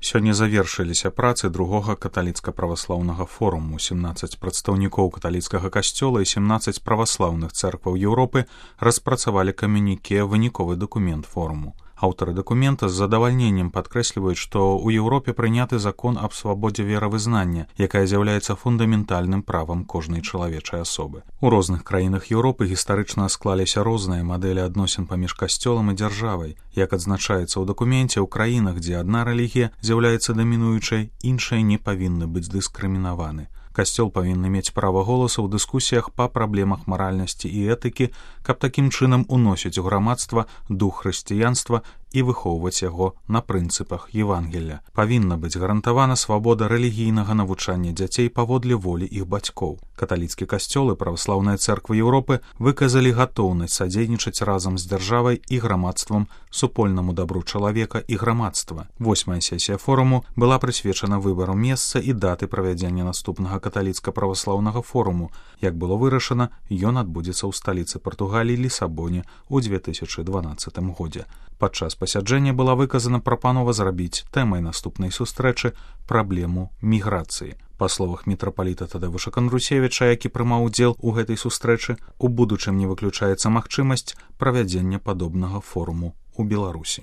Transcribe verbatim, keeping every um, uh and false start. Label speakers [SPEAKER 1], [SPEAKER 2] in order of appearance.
[SPEAKER 1] Сёння завершыліся працы другога каталіцка-праваслаўнага форуму. семнаццаць прадстаўнікоў каталіцкага касцёла і семнаццаць праваслаўных цэркваў Еўропы распрацавалі камюніке, выніковы дакумент форуму. Аўтары дакумента з задавальненнем падкрэсліваюць, што ў Еўропе прыняты закон аб свабодзе веравызнання, якая з'яўляецца фундаментальным правам кожнай чалавечай асобы. У розных краінах Еўропы гістарычна склаліся розныя мадэлі адносін паміж касцёлам і дзяржавай. Як адзначаецца ў дакуменце, ў краінах, дзе адна рэлігія з'яўляецца дамінуючай, іншыя не павінны быць дыскрымінаваны. Касцёл павінны мець права голасу ў дыскусіях па праблемах маральнасці і этыкі, каб такім чынам уносіць у грамадства дух хрысціянства і выхоўваць яго на прынцыпах Евангелля. Павінна быць гарантавана свабода рэлігійнага навучання дзяцей паводле волі іх бацькоў. Каталіцкі касцёл і праваслаўныя цэрквы Еўропы выказалі гатоўнасць садзейнічаць разам з дзяржавай і грамадствам супольнаму дабру чалавека і грамадства. Восьмая сесія форуму была прысвечана выбару месца і даты правядзення наступнага каталіцка-праваслаўнага форуму. Як было вырашана, ён адбудзецца ў сталіцы Партугаліі Лісабоне ў две тысячы дванаццатым годзе. Падчас пасяджэння была выказана прапанова зрабіць тэмай наступнай сустрэчы праблему міграцыі. Па словах мітрапаліта Тадеуша Кандрусевіча, які прымаў удзел у гэтай сустрэчы, у будучым не выключаецца магчымасць правядзення падобнага форуму ў Беларусі.